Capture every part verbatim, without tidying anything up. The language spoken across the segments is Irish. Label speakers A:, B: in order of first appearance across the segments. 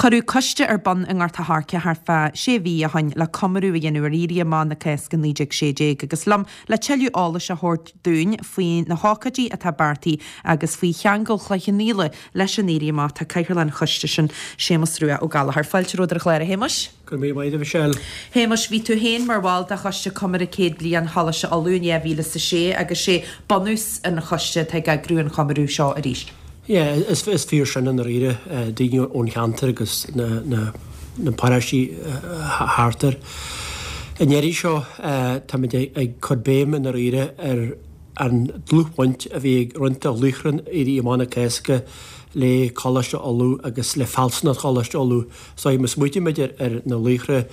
A: Cuireadh coiste ar bun i nGort a' Choirce thart fá sé mhí ó shin le comóradh a dhéanamh ar Éirí Amach na Cásca naoi déag sé déag agus liom le tuilleadh eolais a thabhairt dúinn faoi na hócáidí atá beartaithe agus faoi cheangal Chloich Cheann Fhaola leis an Éirí Amach tá cathaoirleach an choiste sin Séamus Rua Ó Gallchóir. Fáilte romhat ar an chlár a Shéamuis.
B: Go raibh míle maith agat a Mhichelle.
A: Shéamuis, bhí tú féin mar bhall de choiste comóradh céad bliain Choláiste Uladh in dhá mhíle is a sé agus sé bunús an choiste atá ag eagrú an chomóradh seo arís.
B: Yeah, is is fíor sin i ndáiríre daoine ón cheantar agus na na na paróistí thart air. An iarraidh seo táimid ag cur béim i ndáiríre ar an dlúthbhaint a bhí ag roinnt de laochra Éirí Amach na Cásca le Coláiste Uladh agus le fealsúnacht Choláiste Uladh. So má smaoitímid ar ar na laochra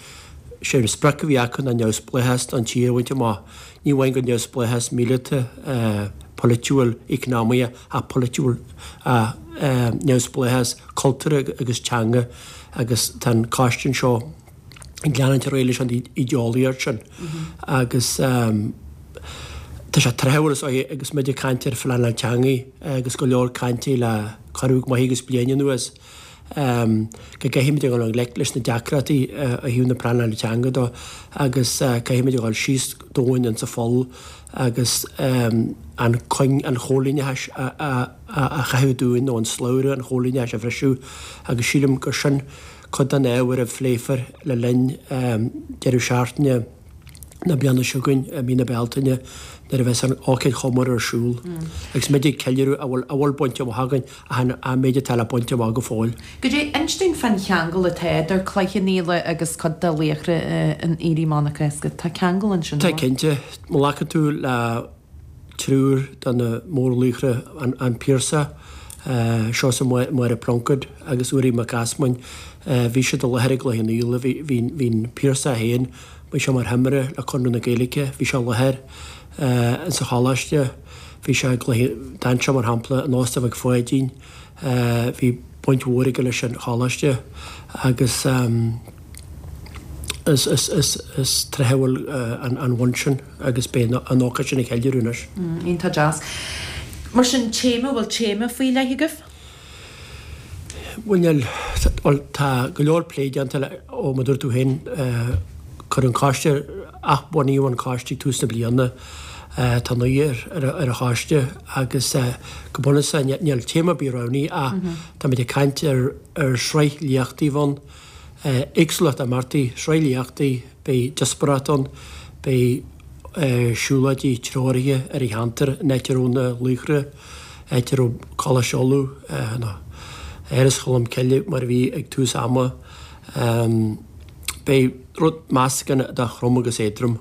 B: sé an sprioc a bhí acu ná neamhspleáchas don tír a bhaint amach. Ní amháin go neamhspleáchas míleata, polaitiúil, eacnamaíoch ach polaitiúil, neamhspleáchas cultúrtha agus teanga agus tá an coiste anseo ag leanúint ar aghaidh leis an ídeolaíocht sin agus tá sé tráthúil is dóigh agus muid ag caint ar phleanáil teanga agus go leor cainte le corradh maith agus bliain anuas. go gcaithfimid a dhul i ngleic leis na deacrachtaí ó thaobh na pleanála teanga dó agus caithfimid a dhul síos domhain insa pholl agus an cuing an chóilíneachais a chaitheamh dúinn nó an slabhra an chóilíneachais a bhriseadh agus sílim gur sin cuid den ábhar a phléifear le linn deireadh seachtaine na bliana seo chugainn, i mí na Bealtaine, nuair a bheas an ócáid chomórtha ar siúl agus muid ag ceiliúradh a bhfuil a bhfuil bainte amach againn ach an méid atá le baint amach go fóill.
A: Goidé, inis dúinn fán cheangal atá idir Cloich Cheann Fhaola agus cuid de laochra an Éirí Amach na Cásca. Tá ceangal ansin,
B: Tá cinnte. Má ghlacann tú le triúr de na mórlaochra, an Piarsach, Seosamh Máire Pluincéid agus Ruairí Mac Easmainn. Bhí siad i láthair i gCloich Cheann Fhaola. Bhí an Piarsach féin, bhí sé mar thimire le Conradh na Gaeilge, bhí sé i láthair insa choláiste, bhí sé i gCloich, d'fhan sé mar shampla in Óstán Mhic Pháidín, bhí baint mhór aige leis an choláiste agus is is is is tráthúil an bhaint sin agus beidh an ócáid sin á cheiliúradh anois.
A: Iontach deas. Mar sin, téama, bhfuil téama faoi leith agaibh?
B: Bhuel níl, bhuel tá go leor plé déanta le, ó mar a dúirt tú féin, cuireadh an coiste, athbhunaíodh an coiste ag tús na bliana, tá naoi ar an choiste agus go bunúsach níl téama ar bith roghnaithe ach táimid ag caint ar ar shraith léachtaí a bheidh ann, éagsúlacht imeachtaí, sraith léachtaí, beidh díospóireacht ann, beidh siúlóidí treoraithe ar an cheantar, an áit a raibh na laochra, áit a raibh Coláiste Uladh, nó Áras Cholm Cille mar a bhí ag tús ama. Beidh rud meascán de throm agus éadrom.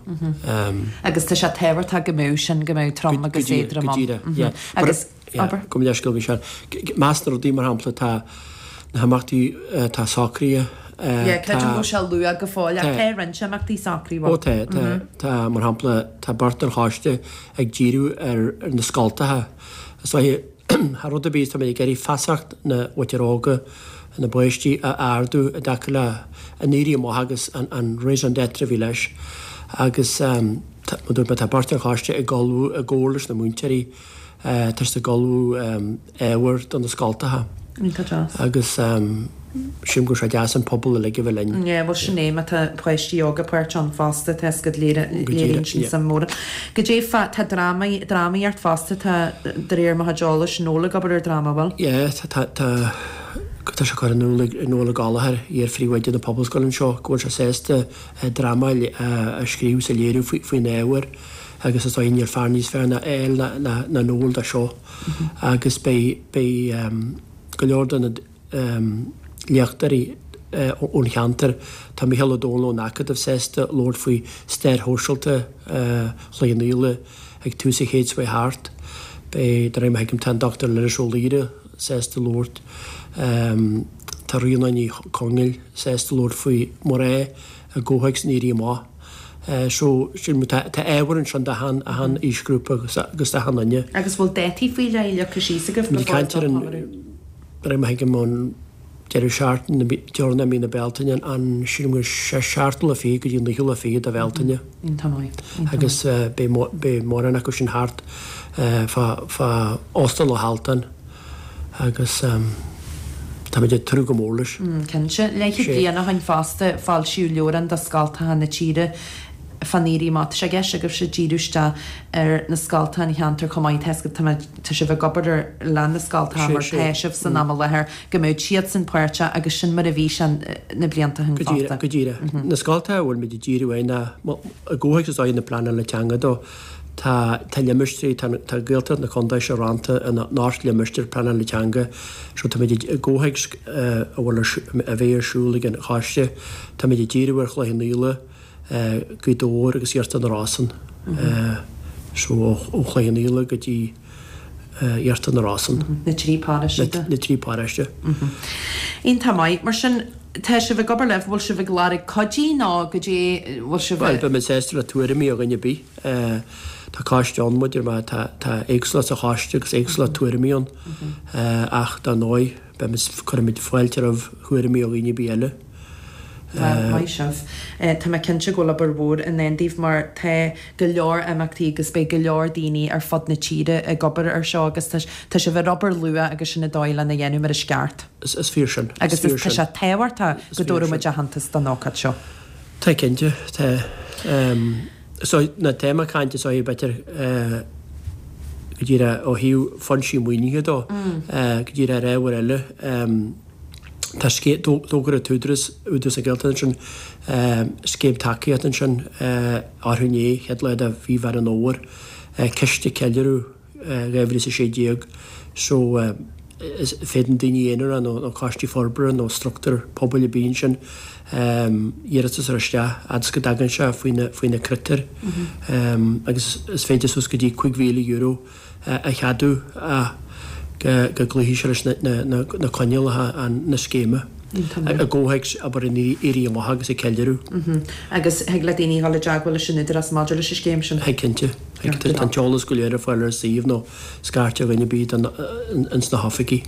A: Agus tá sé tábhachtach go mbeadh sin, go mbeadh trom agus éadrom
B: ann. Go díreach, yeah. Agus. Abair. Gabh mo leithscéal, Michelle. I measc na rudaí, mar shampla, tá na himeachtaí atá socraithe.
A: Yeah, creidim go bhfuil sé luath go fóill, ach tá roinnt imeachtaí socraithe.
B: Ó tá, tá, tá, mar shampla, tá beirt den choiste ag díriú ar na scoltacha. Is dóiche, thar rud ar bith, tá muid ag iarraidh feasacht na mhuintir óga, na bpáistí a ardú i dtaca le an Éirí Amach agus an raison d'être a bhí leis. Agus, mar a dúirt mé, tá beirt den choiste ag ullmhú i gcomhar leis na múinteoirí, Tá siad ag ullmhú ábhar do na scoltacha.
A: Iontach deas.
B: Agus sílim go bhfuil sé deas an pobal uilig a bheith linn.
A: Yeah, bhuel sin é, má tá páistí óga páirteach ann fosta, tá 'fhios agat léiríonn sin suim mhór. Goidé fá, tá drámaí, drámaíocht fosta, tá, de réir mo chuid eolais, Noel ag obair ar dráma, bhfuil?
B: Yeah, tá, tá, tá, tá sé curtha in iúl ag Noel Ó Gallchóir, iar-phríomhoide na Pobalscoile anseo, go bhfuil sé sásta dráma a scríobh is a léiriú faoin ábhar. Agus is dóigh níl fear níos fearr ná é ná Noel dó seo. Agus beidh beidh go leor de na léachtóirí ón cheantar, tá Mícheál Ó Domhnaill ón Acadamh sásta labhairt faoi stair shóisialta Chloich Cheann Fhaola ag tús an chéid seo thart. Beidh, de réir mar a thuigim, tá an Dochtúir Lillis Ó Laoire sásta labhairt, tá Ríona Ní Chonghaill sásta labhairt faoi mná i gcomhthéacs an Éirí Amach. So, sin, tá ábhar ansin d'achan aoisghrúpa agus d'achan duine.
A: Agus bhfuil dátaí faoi leith leagtha síos agaibh
B: go fóill don chomóradh? De réir mar a thuigim an deireadh seachtaine deireanach i mí na Bealtaine, an, sílim gur seachtú lá fichead go dtí an naoú lá fichead de Bhealtaine.
A: Iontach maith.
B: Agus beidh mórán acu sin thart fá Óstán Loch Altan agus Táimid ag tnúth go mór leis.
A: Cinnte. Leathchéad bliain ó shin fosta, foilsíodh leabhrán do scoltacha na tíre fán Éirí Amach. Tá sé i gceist agaibhse díriú isteach ar na scoltacha an cheantair chomh maith. Tá tá tá sibh ag obair ar lean na scoltacha mar tá sibh san am i láthair go mbeadh siadsan páirteach agus sin mar a bhí sé na blianta ó shin fosta.
B: Go díreach. Na scoltacha a bhfuil muid ag díriú air ná i gcomhthéacs is dóigh na pleanála teanga dó. Tá tá limistéirí, tá tá Gaeltacht na contae seo rannta ina n-ocht limistéar pleanála teanga so táimid i gcomhthéacs a bhfuil ar a bheidh ar siúl ag an choiste, táimid ag díriú ar Chloich Cheann Fhaola, Gaoth Dobhair agus Iarthar na Rosann. So ó Chloich Cheann Fhaola go dtí Iarthar na Rosann.
A: Na trí paróiste.
B: Na trí paróiste.
A: Iontach maith. Mar sin, tá sibh ag obair libh, bhfuil sibh ag lorg cuidí nó goidé bhfuil sibh
B: Bhuel, beidh muid sásta le tuairimí ó dhuine ar bith. Tá coiste ann, muid ar tá tá éagsúlacht sa choiste agus éagsúlacht tuairimí ann. Ach dar ndóigh, beidh cuirfimid fáilte roimh thuairimí ó dhaoine ar bith eile.
A: Bhuel, maith sibh. Tá mé cinnte go bhfuil obair mhór i ndán daoibh mar tá go leor imeachtaí agus beidh go leor daoine ar fud na tíre ag obair ar seo agus tá tá sibh ar obair luath agus sin an dóigh lena dhéanamh mar is ceart.
B: Is is fíor sin.
A: Agus is tá sé tábhachtach go dtabharfaidh muid aitheantas don ócáid seo.
B: Tá cinnte, tá. So na téama cainte so b'fhéidir go díreach ó thaobh foinsí maoinithe dó, go díreach ar ábhar eile. Tá scéim, d'fhógair an tÚdarás, Údarás na Gaeltachta ansin, scéim tacaíochta ansin arú inné, chéad lá de mhí Mheán an Fhómhair, ciste ceiliúradh dhá mhíle is a sé déag. So is féadann daoine aonair nó nó coistí forbartha nó struchtúr pobail ar bith ansin iarratas a chur isteach fhad is go dtagann sé faoi na faoi na critéir agus is féidir suas go dtí cúig mhíle euro a cheadú ach go gcloífidh sé leis na coinníollacha na scéime i gcomhthéacs obair an Éirí Amach agus ag ceiliúradh.
A: Agus thig le daoine dhul i dteagmháil leis an Údarás maidir leis an scéim sin?
B: Thig cinnte. Tá an t-eolas go léir ar fáil ar an suíomh nó scairt ar dhuine ar bith ins na hoifigí.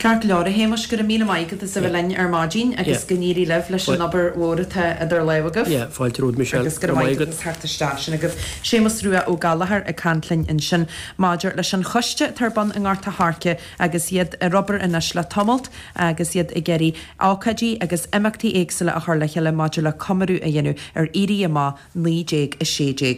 A: Ceart go leor, a Shéamais, go raibh míle maith agat as a bheith linn ar maidin agus go n-éirí libh leis an obair mhór atá idir lámha agaibh.
B: Yeah, fáilte romhat Michelle.
A: Agus go raibh maith agat as theacht isteach. Sin agaibh Séamus Rua Ó Gallchóir ag caint linn ansin maidir leis an choiste atá ar bun i nGort a' Choirce agus iad ar obair anois le tamalt agus iad ag iarraidh ócáidí agus imeachtaí éagsúla a chur le chéile maidir le comóradh a dhéanamh ar Éirí Amach naoi déag a sé déag.